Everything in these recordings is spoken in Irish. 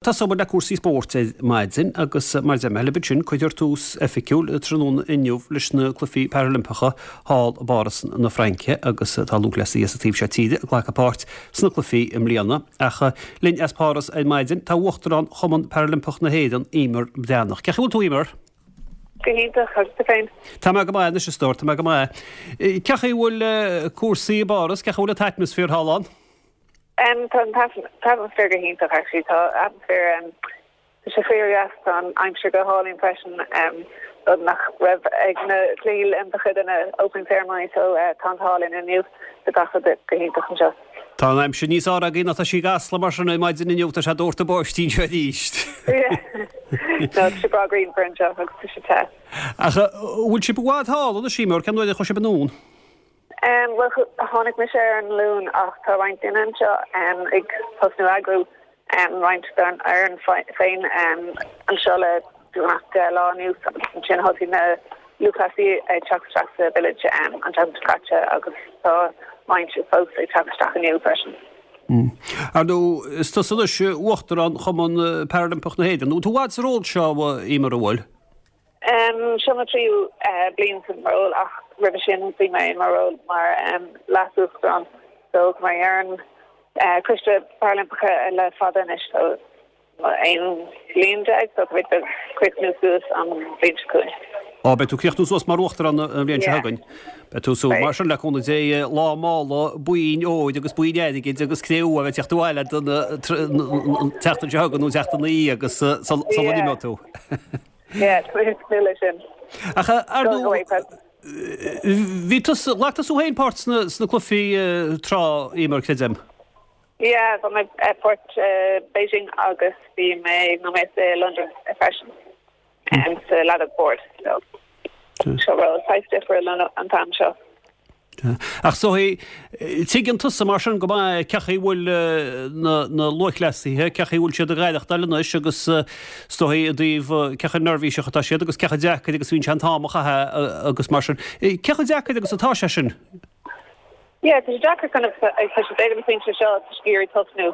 Tosóidh muid le cúrsaí spóirt ar maidin agus mar a deir mé libh ansin, cuirfear tús oifigiúil tráthnóna inniu leis na Cluichí Parailimpeacha thall i bPáras na Fraince agus tá lúthchleasaithe as an taobh seo tíre ag glacadh páirt sna cluichí i mbliana. Ach linn as Páras ar maidin tá Uachtarán Chumann Parailimpeach na hÉireann, Eimear Breathnach. Cén chaoi a bhfuil tú, Eimear? Go hiontach, agus tú féin? Tá mé go maith anois, a stór, tá mé go maith. Cén chaoi a bhfuil cúrsaí i bPáras, cén chaoi a bhfuil an t-atmaisféar thall ann? Tá an t-atmaisféar go hiontach actually. Tá atmaisféar, tá sé fíor-dheas, tá an aimsir go hálainn freisin, rud nach raibh ag na Cluichí Oilimpeacha do na opening ceremony so tá an t-ádh linn inniu, tá gach rud go hiontach anseo. Tá an aimsir níos fearr againn ná tá sí i gCasla mar sin ar maidin inniu, tá sé ag doirteadh báistí anseo arís. Yeah, no tá sé breá grianmhar anseo agus tá sé te. Ach an bhfuil sibh i bhfad thall anois, Eimear, cén uair a chuaigh sibh anonn? Bhuel, tháinig mise ar an Luan ach tá roinnt daoine anseo ag tosnú eagrú roinnt den fhoireann féin anseo le beagnach 10 lá anuas agus ansin thosaigh na lúthchleasaithe ag teacht isteach sa village an tseachtain seo caite agus tá roinnt fós ag teacht isteach inniu freisin. Ar ndóigh, is tusa anois Uachtarán Chumann Parailimpeach na hÉireann. Bhfuil tú i bhfad sa ról seo, Eimear, an bhfuil? Seo mo tríú bliain sa ról ach roimhe sin bhí mé i mo ról mar leas-uachtarán so tá mé ar an Coiste Parailimpeacha le fada anois so 11 bliain so tá mé ag críochnú suas an bhliain seo chugainn. Á, beidh tú ag críochnú suas mar uachtarán an bhliain seo chugainn. Beidh tú súil mar sin le cúnamh Dé lá mála boinn óir agus boinn airgid agus cré-umha a bheith ag teacht abhaile don tseachtain seo chugainn nó an tseachtain ina dhiaidh agus sula n-imeoidh tú. Yeah, tá mé ag tnúth leis sin. Ach ar ndóigh, bhí tusa, ghlac tusa féin páirt sna, sna cluichí tráth, Eimear, creidim? Yeah, bhí mé páirt i Beijing agus bhí mé nóiméad i London freisin, sa leadóg boird. So, seo ról saghas difriúil an t-am seo. Ach is dóigh, tuigeann tusa mar sin go maith cén chaoi a bhfuil na lúthchleasaithe, cén chaoi a bhfuil siad ag aireachtáil anois agus is dóigh i dtaobh cé chomh neirbhíseach atá siad agus cé chomh deacair agus a bhíonn sé an t-am a chaitheamh agus mar sin. Cé chomh deacair agus atá sé sin? Yeah, tá sé deacair kind of, tá siad ag an phointe seo, tá siad ag iarraidh tosnú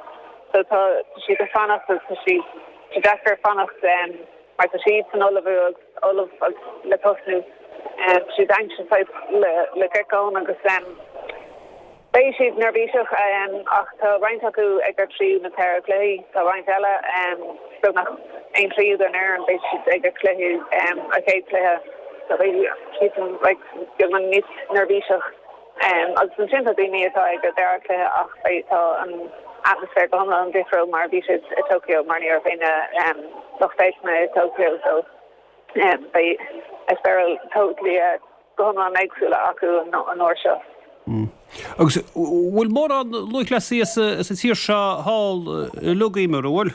so tá siad ag fanacht agus tá siad, tá sé deacair fanacht mar tá siad san ullmhú agus ullamh le tosnú. Tá siad anxious saghas le get going agus beidh siad neirbhíseach ach tá roinnt acu ag a tríú nó ceathrú cluichí. Tá roinnt eile, beagnach aon tríú den fhoireann, beidh siad ag a cluiche, a chéad chluiche. So beidh siadsan like beagnach níos neirbhíseach. Agus ansin tá daoine atá ag a dara cluiche ach beidh, tá an atmaisféar go hiomlán difriúil mar a bhí siad i Tokyo mar ní raibh aon lucht féachana i Tokyo so beidh eispéireas totally go hiomlán éagsúla acu an uair seo. Agus bhfuil mórán lúthchleasaí as an tír seo thall uilig, Eimear, an bhfuil?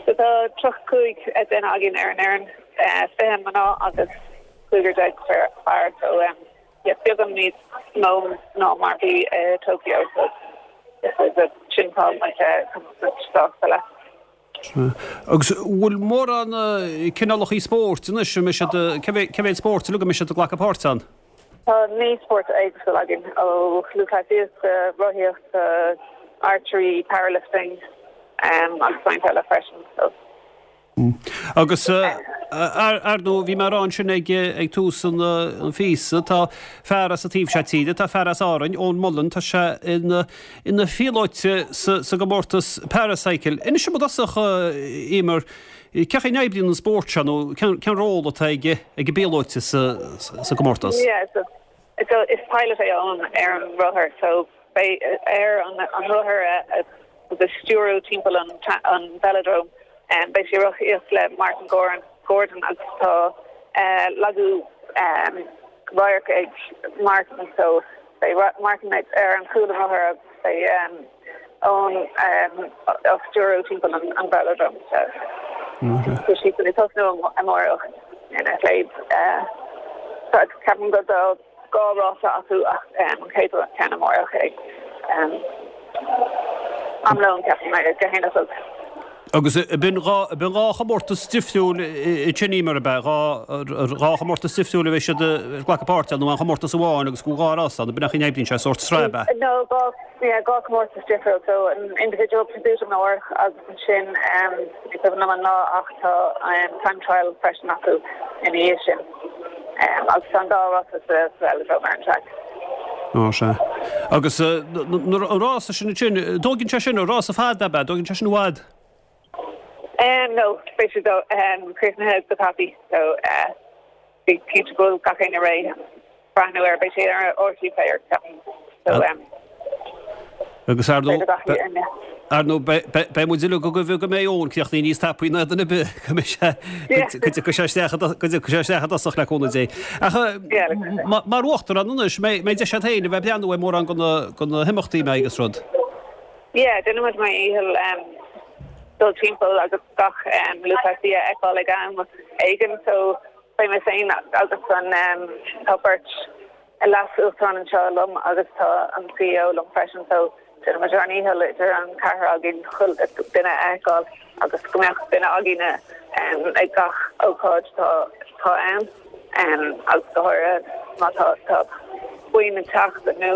So tá 35 duine againn ar an fhoireann, 20 mná agus cúigear déag fear so yeah beagán níos mó ná mar bhí i Tokyo so sin tá muid sásta leis. Agus bhfuil mórán cineálacha spóirt anois, an mbeidh siad, cé mhéad spórt uilig a mbeidh siad ag glacadh páirt ann? Tá 9 spórt éagsúil againn, ó lúthchleasaíocht go rothaíocht go archery, powerlifting agus roinnt eile freisin. So. Agus ar ndóigh, bhí mé ag rá ansin ag ag tús an phíosa, tá fear as an taobh seo tíre, tá fear as Árainn, Eoin Mullen, tá sé ina ina phíolóite sa sa gcomórtas Paracycle. Inis dom i dtosach, Eimear, cén chaoi a n-oibríonn an spórt seo nó cén cén ról atá ag ag an bpíolóite sa sa gcomórtas? Yeah, so so is pilot é Eoin ar an rothar, so beidh air an an rothar a a stiúradh timpeall an an velodrome. Beidh sé ag rothaíocht le Martin Gordon agus tá lagú radhairc ag Martin so beidh Martin ar an chúl an rothair agus beidh Eoin á stiúradh timpeall an velodrome. Tá siad ag tosnú amárach ina chéad ceapaim go 2 rása acu ach an chéad ceann amárach ag am lóin ceapaim ag a haon a chlog. Agus b'in dhá chomórtas difriúil ansin Eimear, ab ea? Dhá chomórtas difriúil a bheidh siad ag glacadh páirte ann nó aon chomórtas amháin agus go bhfuil dhá rás ann, ab in é an chaoi a n-oibríonn sé, sórt sraith ab ea? No, dhá, yeah, dhá chomórtas difriúil. So an individual pursuit amárach agus ansin, ní cuimhin liom an lá ach tá time trial freisin acu ina dhiaidh sin. Agus tá an dá rása sa velodrome ar an traic. Á, sea. Agus an rása sin ansin, dtóigeann sé sin, rása fada ab ea? Dtóigeann sé sin i bhfad? No, beidh sé críochnaithe go tapaidh, so bí cinnte go bhfuil gach éinne réidh breathnú air. Beidh sé ar RTÉ Player, ceapaim. So. Agus ar ndóigh, ar ndóigh, beidh muid uilig ag guí go mbeidh Eoin críochnaithe níos tapaí ná duine ar bith, go mbeidh sé, go dtiocfaidh sé isteach, go dtiocfaidh sé isteach i dtosach le cúnamh Dé. Ach mar uachtarán anois, mbeidh deis agat féin a bheith ag breathnú ar mórán de na himeachtaí mbeidh agus rud. Yeah, déanfaidh muid ár ndícheall dul timpeall agus gach lúthchleasaí a fheiceáil ag am éigin, so beidh mé féin agus an, tá beirt, Leas-Uachtarán anseo liom agus tá an CEO liom freisin so déanfaidh muid ár ndícheall idir an ceathrar againn chuile duine a fheiceáil agus go mbeadh duine againne ag gach ócáid atá ann agus go háirithe má tá tá buíon ag teacht nó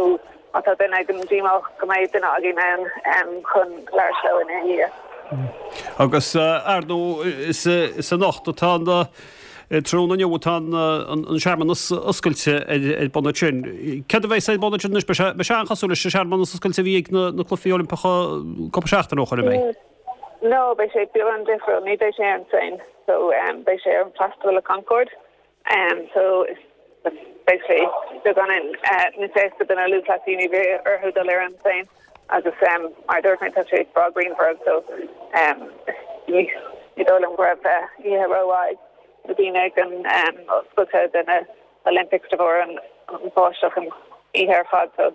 má tá duine éigin díomách go mbeidh duine againn ann chun labhairt leo ina dhiaidh. Agus ar ndóigh is anocht atá an Tráthnóna inniu atá an searmanas oscailte ar bun ansin. Céard a bheas ar bun ansin anois? Beidh sé an-chosúil leis an searmanas oscailte a bhí ag na Cluichí Oilimpeacha cúpla seachtain ó shoin, an mbeidh? No, beidh sé beagán difriúil. Ní bheidh sé ar an Seine. So beidh sé ar an Place de la Concorde. So beidh sé beagán níos éasca do na lúthchleasaí, ní bheidh orthu dul ar an Seine. Agus mar a dúirt mé, tá sé breá grianmhar so ní dóigh liom go raibh oíche rómhaith ag na daoine ag an oscailte de na Olympics de bharr an bháisteach an oíche ar fad so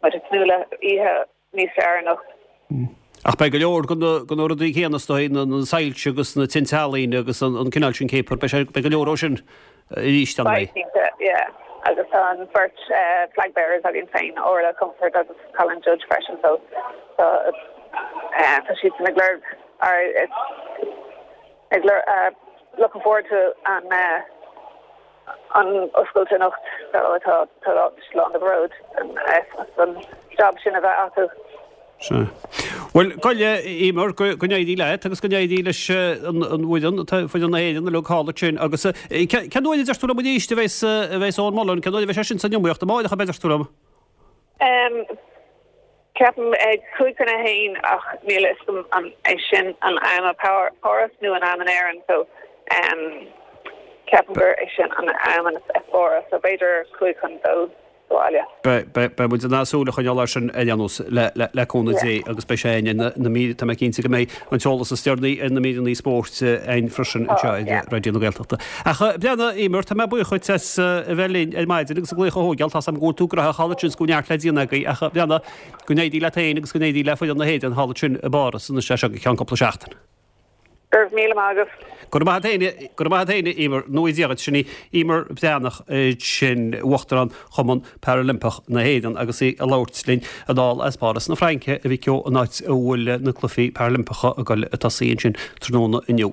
muid ag tnúth le oíche níos fearr anocht. Ach beidh go leor de na rudaí céanna is dóigh, na soilse agus na tinte ealaíne agus an cineál sin céapair, beidh go leor ó sin arís, an mbeidh? Beidh, cinnte, yeah. Agus tá an bheirt flag bearers againn féin, Orla Comerford agus Colin Judge freisin, so tá tá siadsan ag lorg, ag lorg, looking forward to an an oscailt anocht, so tá tá lán de bhród as an job sin a bheith acu. Sea. Bhuel, gabh i leith, Eimear, go n-éirí leat agus go n-éirí leis an bhfoireann, foireann na hÉireann uilig thall ansin agus cén uair a deir tú liom arís a bheas, a bheas Eoin Mullen, cén uair a bheas sé sin san iomaíocht? Amáireach ab ea a deir tú liom? Ceapaim ag 12:55 ach níl a fhios agam an é sin an am i bPáras nó an am in Éirinn so ceapaim gur é sin an am i bPáras so b'fhéidir 1:55. bhaile. Beidh muid in ann súil a choinneáil air sin ar aon nós, le cúnamh Dé, agus beidh sé againn ar na mír, tá mé cinnte go mbeidh an t-eolas is deireanaí ar na míreanna spóirt againn freisin anseo ar Raidió na Gaeltachta. Ach Breandán, Eimear, tá mé buíoch dhuit as a bheith linn ar maidin agus an glaoch a thógáil, tá's agam go bhfuil tú gnóthach thall ansin is go bhfuil neart le déanamh agaibh ach Breandán, go n-éirí leat féin agus go n-éirí le foireann na hÉireann thall ansin i bPáras anois as seo go ceann cúpla seachtain. Go raibh míle maith agat. Go raibh maith agat féin, go raibh maith agat féin, a Eimear. Go ngnóthaí Dia dhuit. Sin í Eimear Breathnach, sin Uachtarán Chumann Parailimpeach na hÉireann agus í ag labhairt linn anall as Páras na Fraince, a mhic ó, an áit a bhfuil na Cluichí Parailimpeacha ag dul ag tosaí ansin tráthnóna inniu.